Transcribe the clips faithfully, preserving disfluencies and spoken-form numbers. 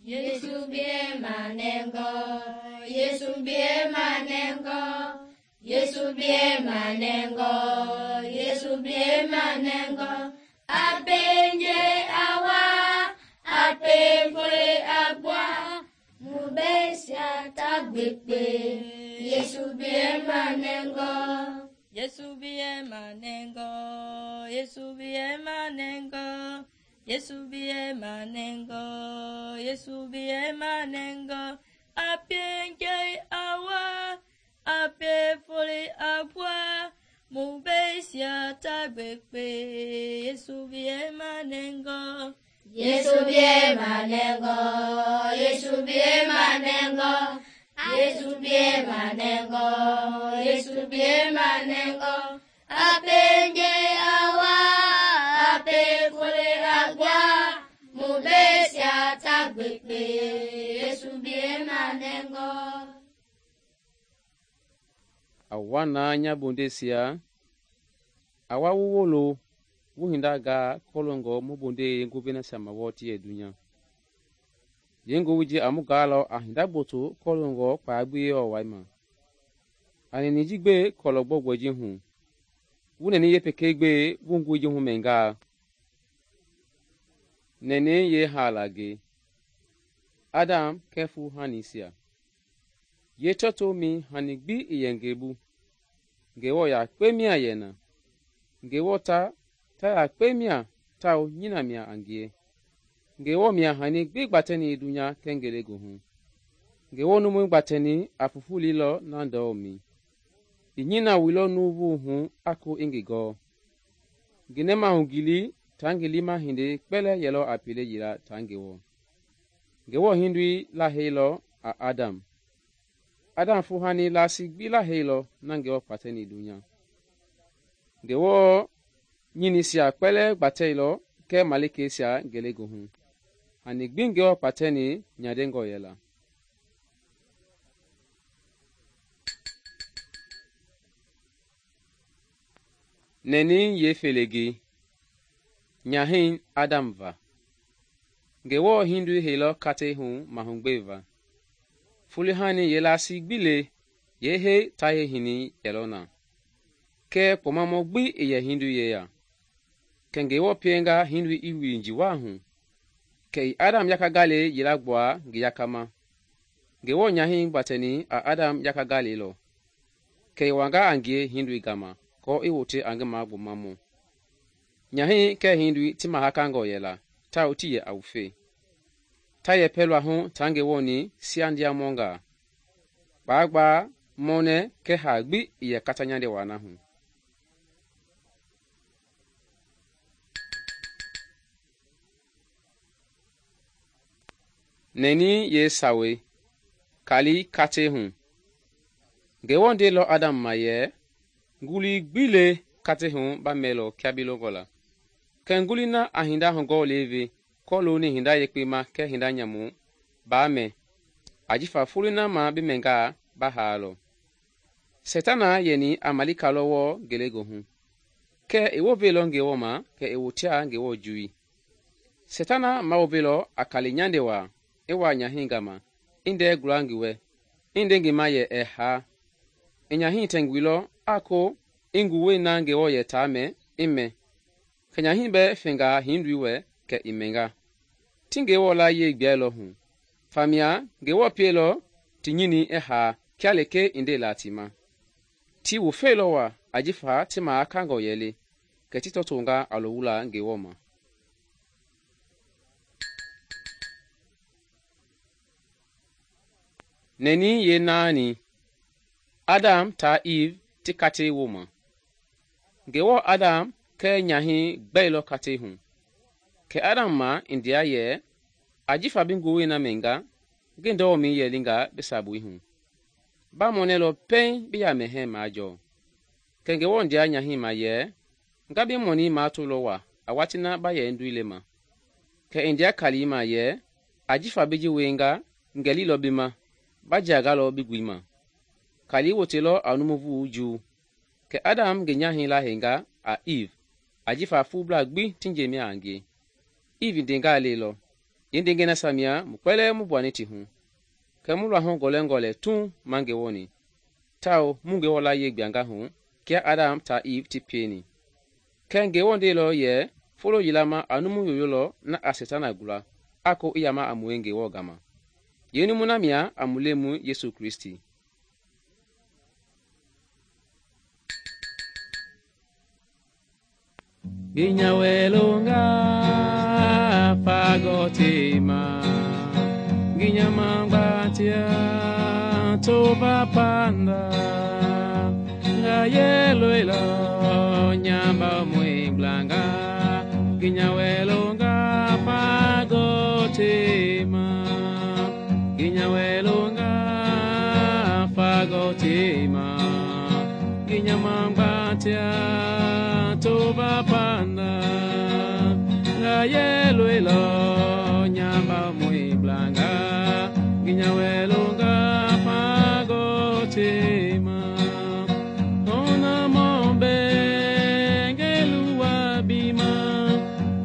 Yesu bie manengo, Yesu bie manengo, Yesu bie manengo, Yesu bie manengo. Apenje awa, ape fole agwa, mubesia tagbekpe. Yesu bie manengo, Yesu bie manengo, Yesu bie manengo. Yesu bie manengo, Yesu bie manengo. Apenje awa, ape fole agwa, mubesia tagbekpe. Yesu bie manengo, Yesu bie manengo, Yesu bie manengo, Yesu bie manengo, Yesu bie manengo. Apenje awa, ape fole agwa, mubesia tagbekpe. Yesu bie manengo. Awa na nyabondesia, awa wuwolo, wuhindaga kolongo mubonde yengo vena sama woti ye dunya. Yengo wiji amugalo ahinda boto kolongo kwa agbiye owaima. Ani nijigbe kologbo gweji hu. Wuneni ye pekegbe wungweji hu menga. Nene ye halage. Adam kefu hanisia. Ye toto mi hanigbi iyengebu. Ngewo ya kpemia yena. Ngewo ta ta ya kpemia tao nyina mia angie. Ngewo mia hanigbi gbateni dunya kengele gohu. Ngewo numu gbateni afufu lilo nando mi. Inyina wilo nuvu hu ako ingigo. Ginema hungili tangilima hindi kpele yelo apile yila tangewo. Ngewo hindui la heilo a Adam. Adam fuhani la sigbi la heilo na ngewo pateni dunya. Ngewo nyini sia kpele gbateilo ke malike sia gelegohu. Hani gbi ngewo pateni nyadengo yela. Neni ye felegi. Nyahin Adam va. Ngewo hindu heilo kate hu mahungbeva. Fulihani yela sigbile ye he taye hini yelona. Ke pomamo gbi iye hindu ye ya. Ke ngewo pienga hindu iwi njiwa hu. Ke Adam yakagale yela gboa ngiyakama. Ngewo nyahin bateni a Adam yakagale lo. Ke wanga angie hindu igama. Ko iwote angema gbomamu. Nyahi ke hindu timahakango yela, ta utiye aufe. Ta ye pelwa hu tange woni siandia monga. Bagba mone ke hagbi iye katanyande wana hu. Neni ye sawe, kali kate hu. Gewonde lo Adam maye, nguli gbile kate hu ba melo kiabilo gola. Ke nguli na ahinda hongo leve, kolo ni hinda yekpema ke hinda nyamu, ba me. Ajifa fulina ma bimenga ba halo. Setana yeni amalika lowo gelego hu. Ke ewo velo ngewo ma, ke ewo tia ngewo jui. Setana ma ovelo akali nyande wa, ewa nyahinga ma, inde gulangiwe, inde ngima ye eha. Enyahin tengwilo, ako, inguwe na ngewo ye tame, ime. Kenyahin be finga hindwiwe ke imenga. Tingewo la ye gbielo hu. Famia, ngewo pielo, tinyini eha, kialeke inde latima. Ti wufelo wa, ajifa tima akango yele, ke titotunga alowula ngewo ma. Neni ye nani. Adam ta Eve ti kate woma. Ngewo Adam ke nyahi gbelo kate hu. Ke Adam ma india ye, ajifa binguwe na menga, gendo mi ye linga besabu hu. Ba monelo pen biya mehe majo. Ke ngewo ndia nyahi ma ye, ngabi moni ma tulo wa, awatina ba ye nduile ma. Ke india kalima ye, ajifa biji wenga, ngelilo bima, bajagalo bigwima. Kali wotelo anumuvu uju. Ke Adam genyahi la henga a Eve. Ajifa fubla gbi tinjemi ange. Eve denga lelo. yeendeengɛi nasia mia mu kpɛlɛɛ mu gbuani ti hu, kɛ mu luahu gɔlɛngɔ lɛ tuŋ ma Ngewɔ ni, tawao mu Ngewɔ layie gbianga hu kia Adam taa Eve ti pieni. Kɛɛ Ngewɔ ndeilɔ yɛ folo yila ma a numu yoyo lɔ na a Setana gula a ko i yama a mue Ngewɔ gama. Yeenumu na mia a mu Lemɔi Yesu Kristi. Ginyawelonga fagotema ginyamangbatia toba panda ngayeloilo nyamba mwinglanga ginyawelonga fagotema ginyawelonga fagotema ginyamangbatia toba panda ngayeloilo nyamba mwinglanga ginyawelonga fagotema ona mombe ngeluwa bima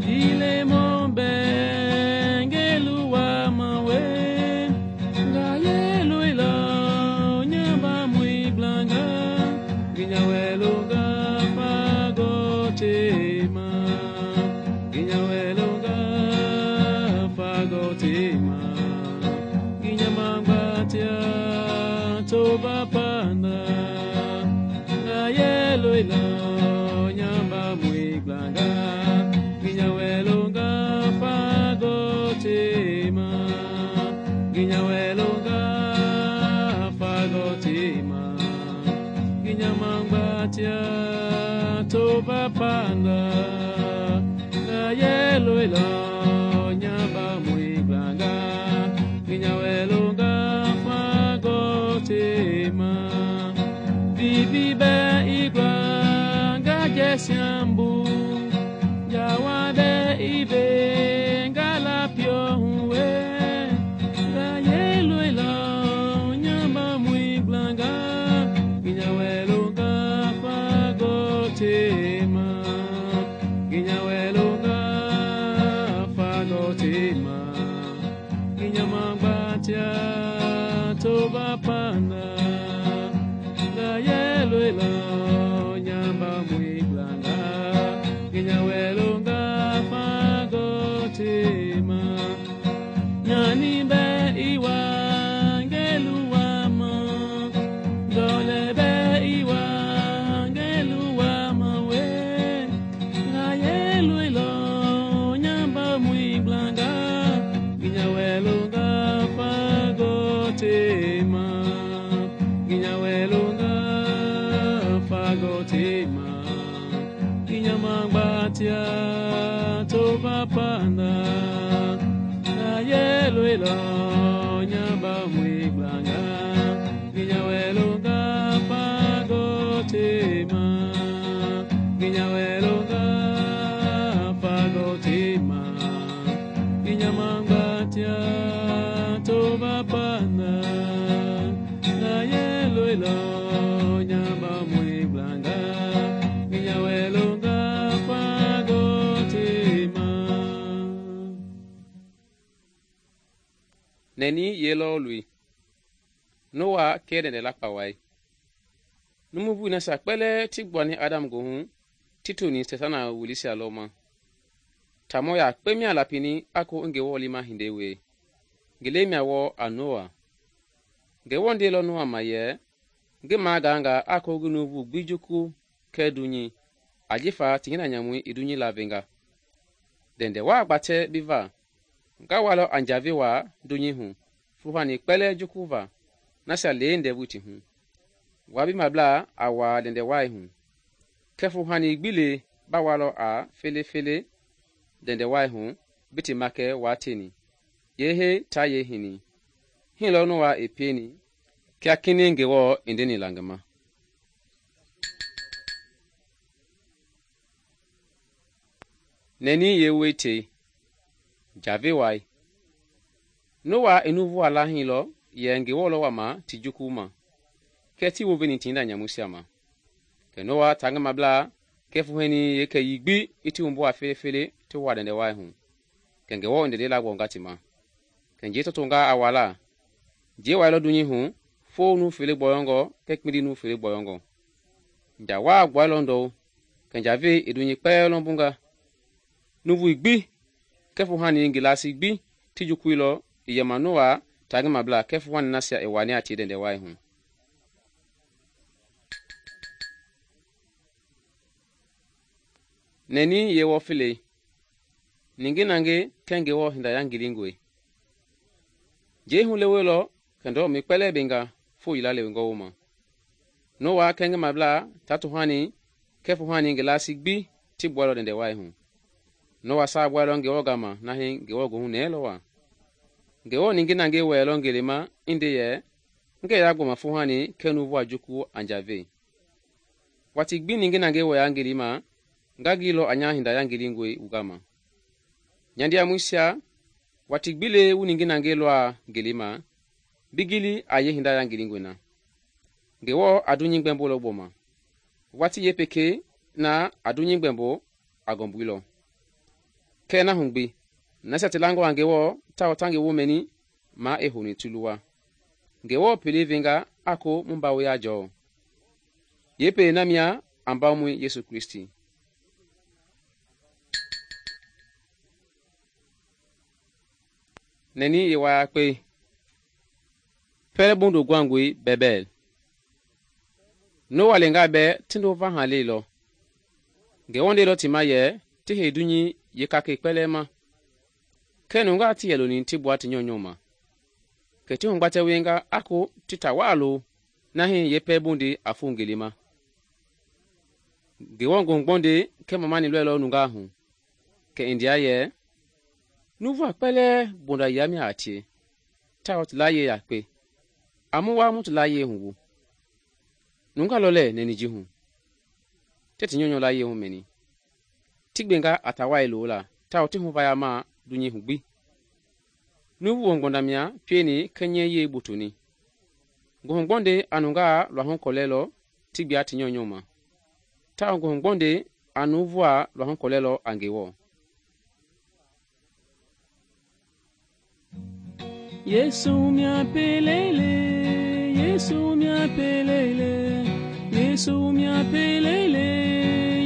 dile mombe ngeluwa mawe ngayeloilo nyamba mwinglanga ginyawelonga fagotema ginyawelonga fagotema ginyamangbatia toba panda ngayeloilo nyamba mwinglanga ginyawelonga fagotema ginyawelonga fagotema ginyamangbatia toba panda ngayeloilo nyamba mwinglanga ginyawelonga fagotema bibibe igwa ngajesyambu yawabe ibe ngalapyo huwe ngayeloilo nyamba mwinglanga ginyawelonga fagotema ginyawelonga fagotema ginyamangbatia toba panda ngayeloilo nyamba mwinglanga ginyawelonga fagotema nyanimbe iwa ngeluwama dolebe iwa ngeluwama we ngayeloilo nyamba mwinglanga ginyawelonga fagotema ginyawelonga fagotema ginyamangbatia toba panda ngayeloilo nyamba mwinglanga ginyawelonga fagotema ginyawelonga fagotema ginyamangbatia toba panda ngayeloilo nyamba mwinglanga ginyawelonga fagotema. Neni yelo lui Noa kede de lakpawai numu bu na sakpele ti gbani Adam gohu tituni Setana wulisia loma tamo ya kpemia lapini ako Ngewɔ lima hindewe ngelemia wo a Noa Ngewɔ ndelo Noa maye nge maganga ako gunubu gbijuku kedunyi ajifa tingina nyamui idunyi lavenga dende wa gbate biva nga walo anjavi wa dunyi hu fuhani kpele jukuva nasa leende buti hu wabi mabla awa dende wai hu kefu hani gbile ba walo a fele fele dende wai hu biti make wateni yehe ta yehini hilo Noa epeni kia kini Ngewɔ indeni langama neni yewete javi wai Noa enuvu ala hilo ye Ngewɔ lo wama tijukuma keti woveni tinda nyamusiama ke Noa tanga mabla kefu heni yeke yigbi iti umbu afele fele to wadende wai hu kɛ Ngewɔ i ndɛndɛi lagbɔnga ti ma. Kɛ njɛi tɔtonga a wala, njɛi wailɔ dunyei hu foo numu fele gbɔyɔngɔ kɛɛ kpindi numu fele gbɔyɔngɔ. Nja waa gbuailɔ ndɔu, kɛ njavei i dunyei kpɛlɛɛ lɔmbunga. Nuuvui gbi kɛɛ fuuhani ngi laasii gbi ti jukuilɔ i yɛma Noa taa ngi mablaa kɛɛ fuuhani nasia i wani a tie ndɛndɛ wai hu. Nɛni yeewɔ felei, ningi nangi kɛɛ Ngewɔ hinda yangilingɔe. Njɛi huleweilɔ kɛ ndɔlɔmɛi kpɛlɛɛ benga foo yila lewengɔ wooma. Noa kɛɛ ngi mablaa taa tuhani kɛɛ fuuhani ngi laasii gbi ti gbuailɔ ndɛndɛ wai hu. Noa saagbuailɔ Ngewɔ gama na hii Ngewɔ goohu nɛɛlɔ waa. Ngewɔ ningi nangi wɛɛlɔ ngelema i nde yɛ, ngɛɛ ya gbɔma fuuhani kɛɛ nuuvu a juku a njavei. Watii gbi ningi nangi wɛya ngelema, nga gilɔ a nya hinda yangilingɔe wu gama. Nya ndiamɔisia, watii gbi le wu ningi nangi lɔa ngelema, bi gili a yee hinda yangilingɔe na. Ngewɔ a dunyei gbɛmbolɔ gbɔma. Watii yeepekei na a dunyei gbɛmbo a gɔmbuilɔ. Kɛɛ na hu gbi, nasia ti langɔ a Ngewɔ tawao ta ngi woomɛni, maa i houni ti luwa. Ngewɔ pelei venga a ko mu mbawo ya jɔɔ. Yeepelei na mia a mbawomɔi Yesu Kristi. Nɛni yewayakpe. Pɛlɛ bondo guangɔe Bɛbɛl. Noa lenga bɛ ti ndova ha leilɔ. Ngewɔ ndeilɔ ti ma yɛ ti hei dunyei yeekakei kpɛlɛɛ ma. Kɛɛ nungaa ti yɛ loni ti gbua ti nyɔunyɔ ma. Kɛ ti hugbatɛ wienga a ko ti ta waa lo na hii yeepɛlɛ bondei a foo ngelema. Ngewɔ nguhugbɔndei kɛɛ mamani lɔɛlɔ nungaa hu. Kɛ i ndia yɛ, nuuvu a kpɛlɛɛ bonda yia mia a tie, tawao ti layie yakpe. A mu waa mu ti layie hu wu. Nungaa lɔ lɛɛ nɛni ji hu. Ti ti nyɔunyɔ layie hu mɛni. Ti gbenga a ta wai loo la, tawao ti huvaya maa dunyei hu gbi. Nuuvu wɔngbɔnda mia pieni kɛɛ nyɛɛyie botoni. Nguhugbɔndei a nungaa luahu kɔlɛlɔ ti gbia ti nyɔunyɔ ma. Tawao nguhugbɔndei a nuuvua luahu kɔlɛlɔ a Ngewɔ. Yesu mia pelele, Yesu mia pelele, Yesu mia pelele,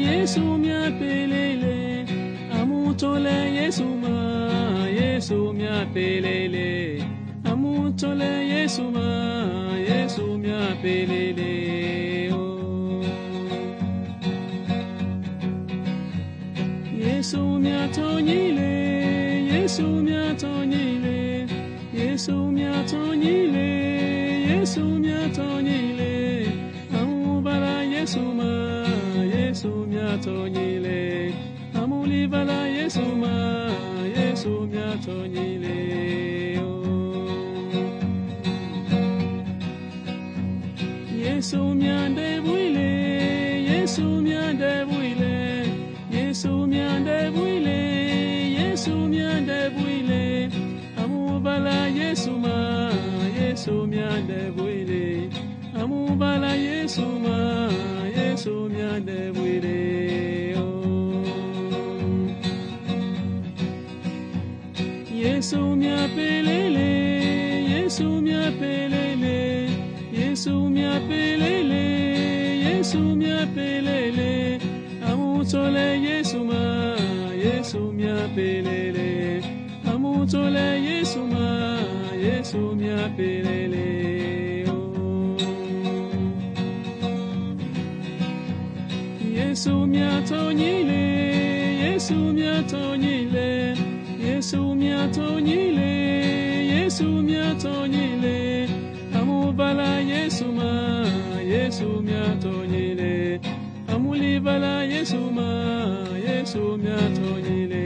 Yesu mia pelele, amutole Yesu ma, Yesu mia pelele, amutole Yesu ma, Yesu mia pelele. Oh. Yesu mia tonyile, Yesu mia tonyile. Yesu mia tonyile, Yesu mia tonyile, amubala Yesu ma, Yesu mia tonyile, amulibala Yesu ma, Yesu mia tonyile. Oh. Yesu mia debuile, Yesu mia debuile, Yesu mia debuile, Yesu mia debuile. Amubala Yesu ma, Yesu mia debuile. Amubala Yesu ma, Yesu mia debuile. Oh. Yesu mia pelele, Yesu mia pelele, Yesu mia pelele, Yesu mia pelele. Amutole Yesu ma, Yesu mia pelele. Amutole Yesu ma, Yesu mia pelele. Oh. Yesu mia tonyile, Yesu mia tonyile, Yesu mia tonyile, Yesu mia tonyile. Amubala Yesu ma, Yesu mia tonyile. Amulibala Yesu ma, Yesu mia tonyile.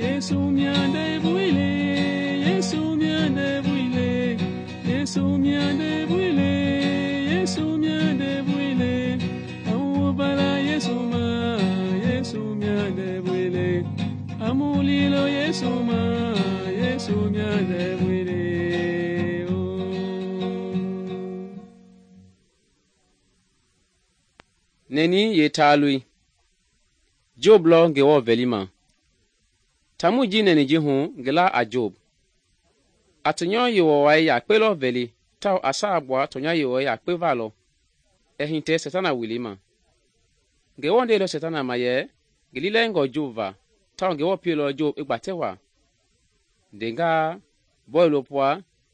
Yesu mia debuile, Yesu mia debuile, Yesu mia debuile, Yesu mia debuile. Amubala Yesu ma, Yesu mia debuile. Amulilo Yesu ma, Yesu mia debuile. Nɛni ye taalui. Job lɔ Ngewɔ vɛlima. Taamui ji nɛni ji hu ngi la a Job. A tɔnyɔ Yewɔ wai yakpe lɔ vɛli tawao a saa gbua tɔnya Yewɔ yakpe va lɔ. Ɛ hitɛ Setana wili ma. Ngewɔ ndeilɔ Setana ma yɛ ngi lilɛngɔ Job va tawao Ngewɔ pielɔ Job i gbatɛ waa. Ndengaa, bɔilopua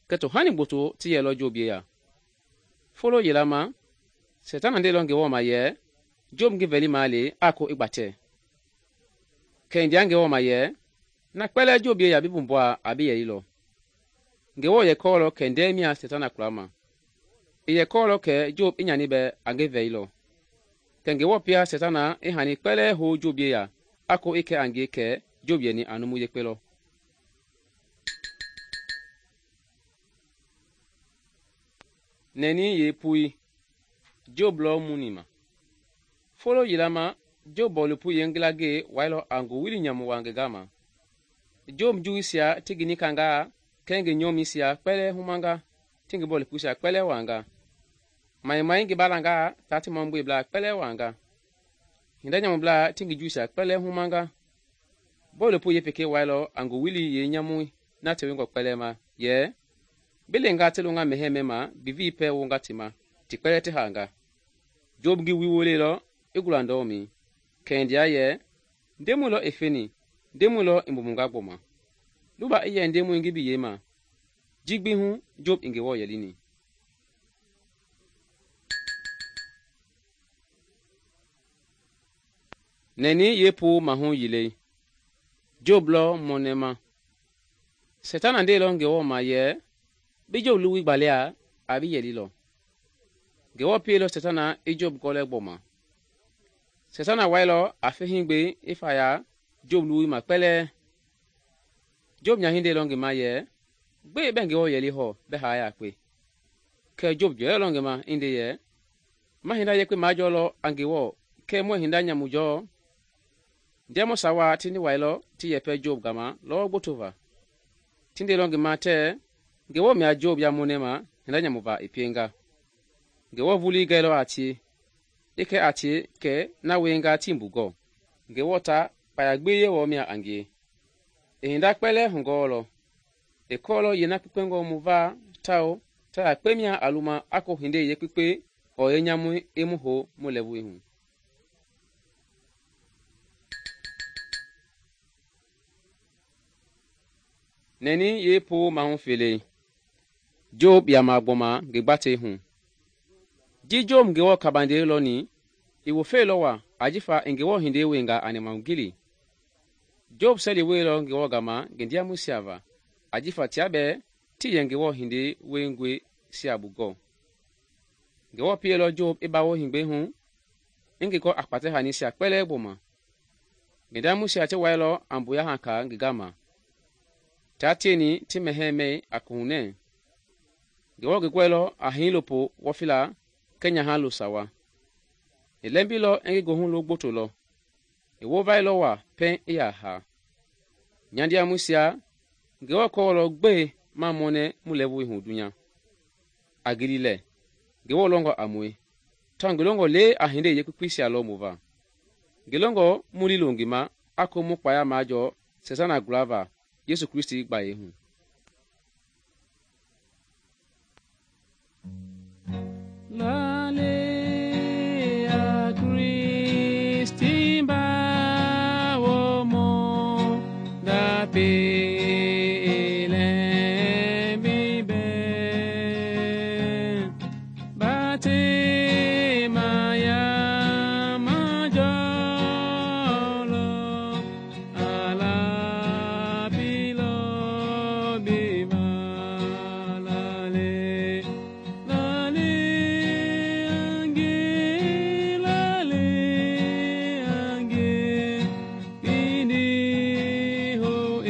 kɛ tohani gboto ti yɛlɔ Job yeya. Folo yela ma, Setana ndeilɔ Ngewɔ ma yɛ Job ngi vɛlima le a ko i gbatɛ. Kɛ i ndea Ngewɔ ma yɛ na kpɛlɛɛ Job yeya bi bumbua a bi yɛlilɔ. Ngewɔ yɛ kɔɔlɔ kɛ ndɛɛ mia Setana kulama. I yɛ kɔɔlɔ kɛ Job i nyani bɛ a ngi vɛilɔ. Kɛ Ngewɔ pia Setana i hani kpɛlɛɛ hou Job yeya a ko i kɛ a ngie kɛ Job yɛni a numu yekpe lɔ. Nɛni yeepui, Job lɔ muni ma. Folo yela ma, Job bɔilopui yengilage wailɔ a ngowili nyamu wa ngi gama. Job juwisia ti ngi nikangaa kɛ ngi nyɔmisia kpɛlɛɛ humanga ti ngi bɔilopuisia kpɛlɛɛ wanga. Maimai ngi balangaa taa ti mɔmbueblaa kpɛlɛɛ wanga. Hinda nyamublaa ti ngi juwisia kpɛlɛɛ humanga. Bɔilopui yepeke wailɔ a ngowili yenyamui na tewengɔ kpɛlɛɛ ma yɛ bi lenga ti longa mɛhɛɛ mɛma bivi pɛ wonga ti ma ti kpɛlɛɛ ti hanga. Job ngi wi wolelɔ i gulandɔmi. Kɛ i ndea yɛ ndemui lɔ i feni, ndemui lɔ i mbumunga gbɔma. Luba i yɛ ndemui ngi biyei ma. Jigbi hu Job i Ngewɔ yɛlini. Nɛni yeepo mahu yilei, Job lɔ mɔnɛma. Setana ndeilɔ Ngewɔ ma yɛ bi Job luwi gbalea a bi yɛlilɔ. Ngewɔ pielɔ Setana i Job gɔlɛ gbɔma. Setana wailɔ a fehingbe i faya Job luwi ma kpɛlɛɛ. Job nyahindeilɔ ngi ma yɛ gbe bɛ Ngewɔ yɛli hɔ bɛ haa yakpe. Kɛ Job jɔyɛlɔ ngi ma i nde yɛ ma hinda yekpe majɔlɔ a Ngewɔ kɛ muɛ hinda nyamujɔɔ. Ndiamɔ sawa ti ndi wailɔ ti yɛpɛ Job gama lɔɔ gbotova. Ti ndeilɔ ngi ma tɛ Ngewɔ mia Job ya mɔnɛma hinda nyamuva i pienga. Ngewɔ vuli gɛlɔ a tie, i kɛ a tie kɛ na wenga ti mbugɔ. Ngewɔ ta kpaya gbi yewɔ mia a ngie. I hinda kpɛlɛɛ hungɔɔlɔ. I kɔɔlɔ yena kpekpengɔ mu va tao ta yakpe mia a luma a ko hinde yekpekpe ɔɔ yenyamui i mu ho mu lɛvui hu. Nɛni yeepo mahu felei, Job yama gbɔma ngi gbatei hu. Ji Job Ngewɔ kabandei lɔni, i wofelɔ wa ajifa i Ngewɔ hindei wenga a nɛmahugili. Job sɛli weilɔ Ngewɔ gama ngi ndiamuisia va, ajifa tia bɛɛ ti yɛ Ngewɔ hindei wengɔe sia bugɔ. Ngewɔ pielɔ Job i bawo hingbe hu i ngi kɔ a kpatɛ hanisia kpɛlɛɛ gbɔma. Ngi ndiamuisia ti wailɔ a mbuya haka ngi gama. Tia tieni ti mɛhɛɛ mɛi a kohunɛ. Ngewɔ ngi gɔɛlɔ a hii lopo wɔfila kɛ nyaha lo sawa. I lɛmbilɔ i ngi gohu lo gboto lɔ. I wovailɔ wa pɛn i yaa haa. Nyandiamuisia, Ngewɔ kɔɔlɔ gbe ma mɔnɛ mu lɛvui hu dunya. A gili lɛ, Ngewɔ lɔngɔ a mue. Tawao ngi lɔngɔ le a hinde yekpekpeisia lɔ mu va. Ngi lɔngɔ mu lilo ngi ma a ko mu kpaya majɔ Setana gulava Yesu Kristi gbayei hu. Lale a Kristi ba wo mo da pele bibe bate maya majolo ala bilo bima lale lale ange lale ange bini ho e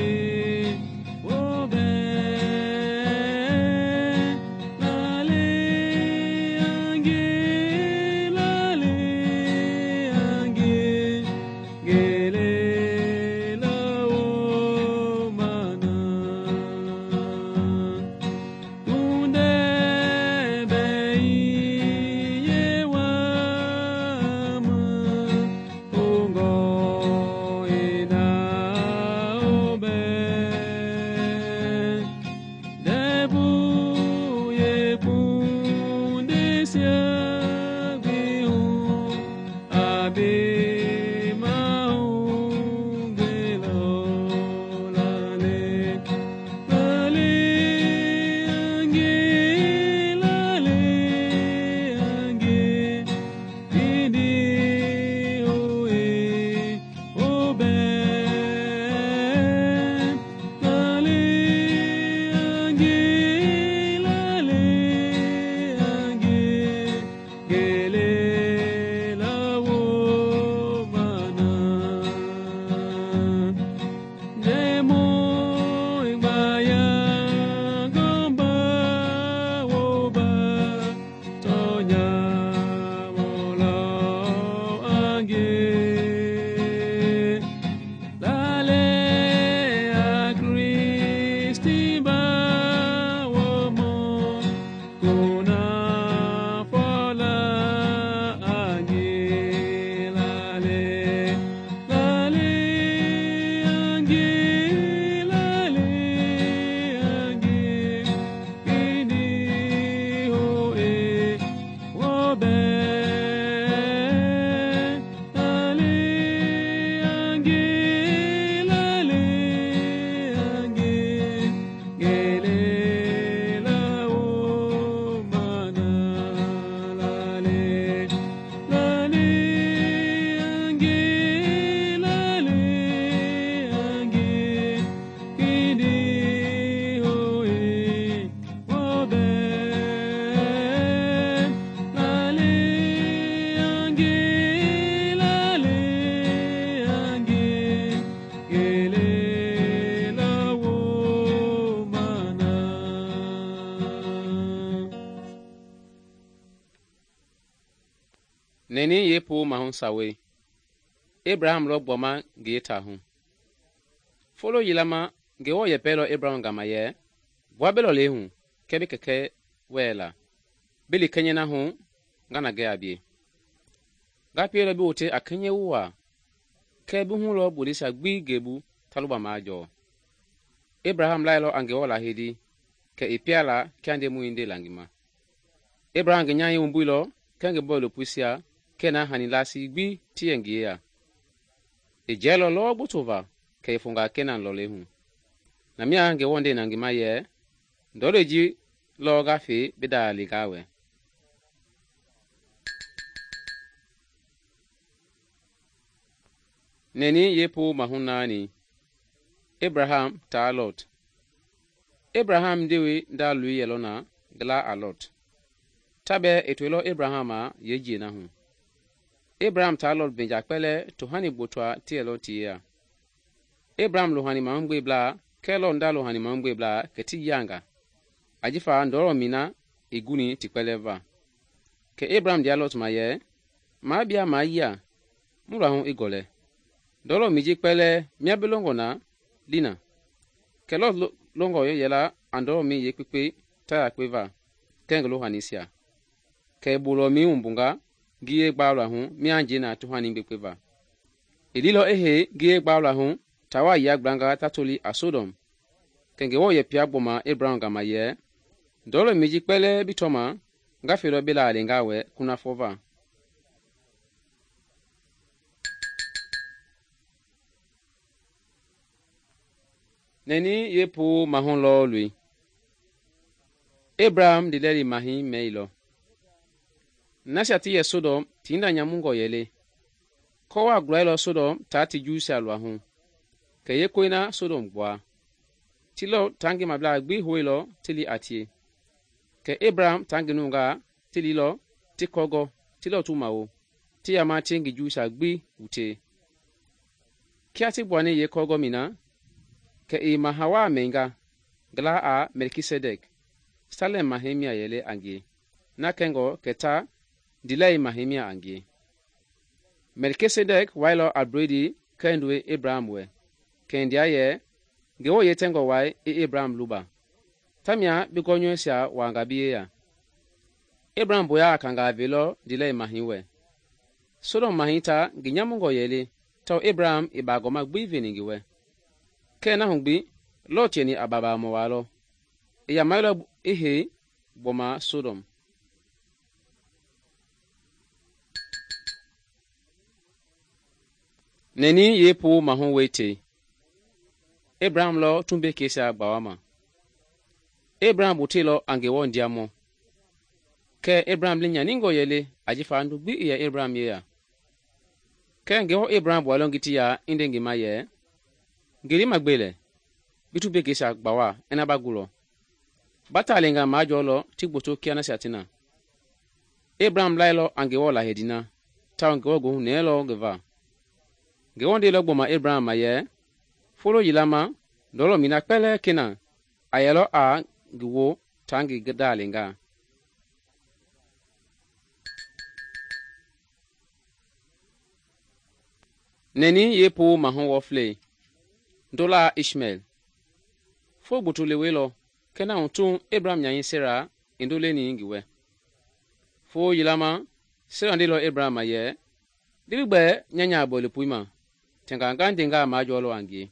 Neni yeepuu mahu sawei, Abraham lɔ gbɔma ngi yeetaahu. Folo yila ma Ngewɔ yɛpɛlɔ Abraham gama yɛ, "Gbua bi lɔlei hu kɛɛ bi kɛkɛ wɛɛ la, bi li kɛnyɛ na hu nga na gɛ a bie. Nga pielɔ bi wote a kɛnyɛ wu waa, kɛɛ bi hu lɔ bondeisia gbi ngebu ta luba majɔɔ." Abraham lailɔ a Ngewɔ lahedi kɛ i pia la kia Ndemɔi ndela ngi ma. Abraham ngi nyahɛi wumbuilɔ kɛɛ ngi bɔilopoisia kɛɛ na hani laasi gbi ti yɛ ngi yeya. I jɛɛlɔ lɔɔ gboto va kɛ i fonga Kenan lɔlei hu. Na mia Ngewɔ ndena ngi ma yɛ, "Ndɔlei ji lɔ nga fe bi daa li nga wɛ." Neni yeepuu mahu naani, Abraham taa Lot. Abraham ndewe nda loi yɛlɔ na ngi la a Lot. Ta bɛɛ i toilɔ Abraham a yeejie na hu. Abraham taa Lot venja kpɛlɛɛ tohani gbotoa ti yɛlɔ ti yeya. Abraham lohani mahugbeblaa kɛɛ Lot nda lohani mahugbeblaa kɛ ti yianga, ajifa ndɔlɔ mi na i guni ti kpɛlɛɛ va. Kɛ Abraham ndea Lot ma yɛ, "Maa bia maa yia, mu luahu i gɔlɛ. Ndɔlɔ mi ji kpɛlɛɛ mia bi longɔ na li na." Kɛ Lot longɔ yɛla a ndɔlɔ mi yeekpekpe ta yakpe va kɛɛ ngi lohanisia. Kɛ i bolɔ mi wumbunga ngiye gbaalɔahu mia njɛi na tohani gbekpe va. I lilɔ i hei ngiye gbaalɔahu taa waa yia gblanga ta toli a Sodom. Kɛ Ngewɔ yɛpia gbɔma Abraham gama yɛ, "Ndɔlɔ mi ji kpɛlɛɛ bi tɔma nga felɔ bi la a li nga wɛ kunafɔ va." Neni yeepuu mahu lɔɔlui, Abraham ndilɛli mahi mɛilɔ. Nasia ti yɛ Sodom tinda nyamungɔ yɛle. Kɔwa gulailɔ Sodom taa ti Juusia luahu, kɛ yeekoi na Sodom gbua. Ti Lot taa ngi mablaa gbi hoilɔ ti li a tie. Kɛ Abraham taa ngi nungaa ti lilɔ ti kɔgɔ ti Lot mawo, ti yama tie ngi Juusia gbi wutee. Kia ti gbuani yeekɔgɔ mi na, kɛ i mahawaa mɛnga ngi la a Melkisedek, Salem mahɛi mia yɛlɛ a ngie, na kɛngɔ kɛ ta ndilɛi mahɛi mia a ngie. Melkisedek wailɔ a bredi kɛɛ ndoe Abraham wɛ, kɛ ndia yɛ, Ngewɔ yetɛngɔ wai i Abraham luba. Tamia bi gɔnyɔɛisia waanga bi yeya. Abraham boya a kangaa velɔ ndilɛi mahɛi wɛ. Sodom mahɛi ta ngi nyamungɔ yɛle tawao Abraham i baagɔma gbi veni ngi wɛ. Kɛɛ na hu gbi, Lot yɛni a babaamɔ waalɔ. I yamailɔ i hei gbɔma Sodom. Neni yeepuu mahu weitei, Abraham lɔ tumbekeisia gbawama. Abraham botelɔ a Ngewɔ ndiamɔ. Kɛɛ Abraham li nyaningɔ yɛle ajifa ndu gbi i yɛ Abraham yeya. Kɛɛ Ngewɔ Abraham bualɔ ngi ti ya i nde ngi ma yɛ, "Ngeli ma gbe lɛ, bi tumbekeisia gbawa ina ba gulɔ. Ba taalenga majɔɔlɔ ti gboto kia nasia ti na." Abraham lailɔ a Ngewɔ lahedi na, tawao Ngewɔ goohu nɛɛlɔ ngi va. Ngewɔ ndelɔ gbɔma Abraham ma yɛ, "Folo yila ma, ndɔlɔ mi na kpɛlɛɛ Kenan a yɛlɔ a ngi wo taa ngi daalenga." Neni yeepuu mahu wɔflei, ndola Ishmael. Fo gboto lewelɔ kɛ na hu tun Abraham nyanyi Sera i ndoleni ngi wɛ. Fo yila ma, Sera ndelɔ Abraham ma yɛ, "Libi gbɛɛ nya nyaa bɔilepoi ma, tɛnga nga ndengaa majɔɔlɔ a ngie."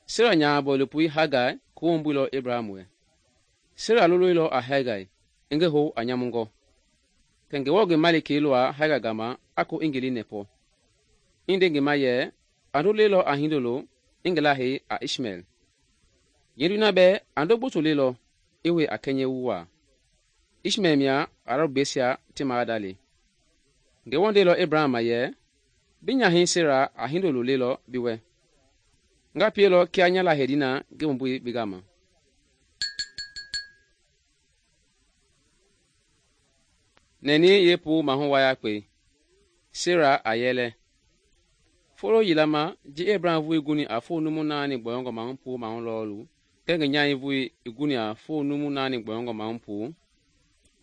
Sera nyaa bɔilepoi Hagai ko wumbuilɔ Abraham wɛ. Sera loloilɔ a Hagai i ngi hou a nyamungɔ. Kɛ Ngewɔ ngi malikei lɔa Hagai gama a ko i ngi li nɛpɔ. I nde ngi ma yɛ, "A ndo lelɔ a hindolo i ngi lahei a Ishmael." Yendui na bɛɛ a ndo gboto lelɔ i we a kɛnyɛ wu waa. Ishmael mia Arabbeisia ti maadali. Ngewɔ ndelɔ Abraham ma yɛ, "Bi nyahɛi Sera a hindolo lelɔ bi wɛ. Nga pielɔ kia nya lahedi na ngi wumbui bi gama." Neni yeepuu mahu wayakpe, Sera a yɛlɛ. Folo yilama ji Abraham vui guni a fo numu naani gbɔyɔngɔ mahu puu mahu lɔɔlu, kɛɛ ngi nyahɛi vui i guni a fo numu naani gbɔyɔngɔ mahu puu,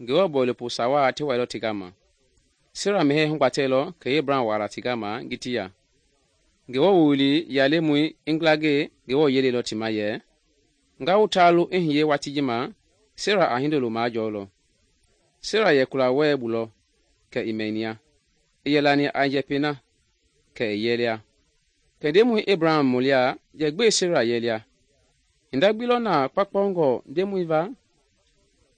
Ngewɔ bɔilopo sawaa ti wailɔ ti gama. Sera mehɛɛ hugbatɛlɔ kɛ Abraham wala ti gama ngiti ya. Ngewɔ wowili ya lemɔi i ngilangɛi Ngewɔ yeleilɔ ti ma yɛ, nga wu taalu i hiye watii ji ma, Sera a hindolo majɔɔlɔ. Sera yɛ kula wɛɛ bu lɔ kɛ i mɛnia, i yɛ lani a njɛpɛi na kɛ i yɛlia. Kɛ Ndemɔi Abraham mɔlia yɛ gbɛe Sera yɛlia? Hinda gbi lɔ na kpaukpaungɔ Ndemɔi va?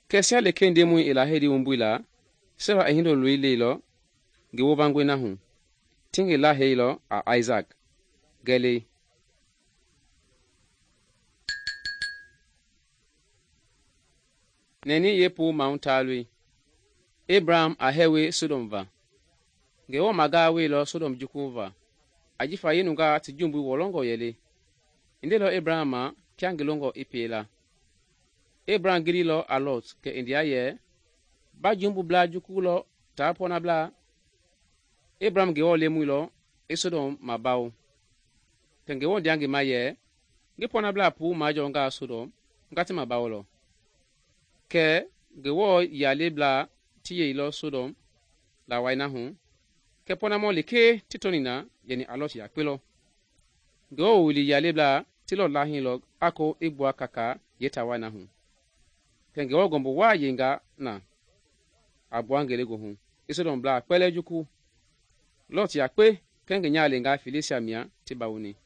Kɛ sia lekee Ndemɔi i lahei wumbui la, Sera i hindoloi leilɔ ngi wovangɔi na hu, ti ngi laheilɔ a Isaac, gɛlɛi. Nɛni yeepuu mahu taaloi. Abraham a hɛɛwe Sodom va. Ngewɔ magaa weilɔ Sodom jukuu va, ajifa yeenungaa ti jumbui wɔlɔngɔ yɛle. I ndeilɔ Abraham ma kia ngi longɔ i pie la. Abraham gililɔ a Lot kɛ i ndea yɛ, ba jumbublaa jukuu lɔ taa pɔɔnablaa. Abraham Ngewɔ lemɔilɔ i Sodom mabawo. Kɛ Ngewɔ ndea ngi ma yɛ, ngi pɔɔnablaa puu majɔɔngaa Sodom, nga ti mabawolɔ. Kɛ Ngewɔ yaleblaa ti yeilɔ Sodom lawai na hu, kɛ pɔɔnamɔ lekee ti tɔni na yɛni a Lot yakpe lɔ. Ngewɔ wowili yaleblaa ti Lot lahiilɔ a ko i gbua kaka yeetawai na hu. Kɛ Ngewɔ gɔmbo waa yenga na a gbua ngelegoohu i Sodomblaa kpɛlɛɛ jukuu. Lot yakpe kɛɛ ngi nyahalengaa feleisia mia ti bawoni.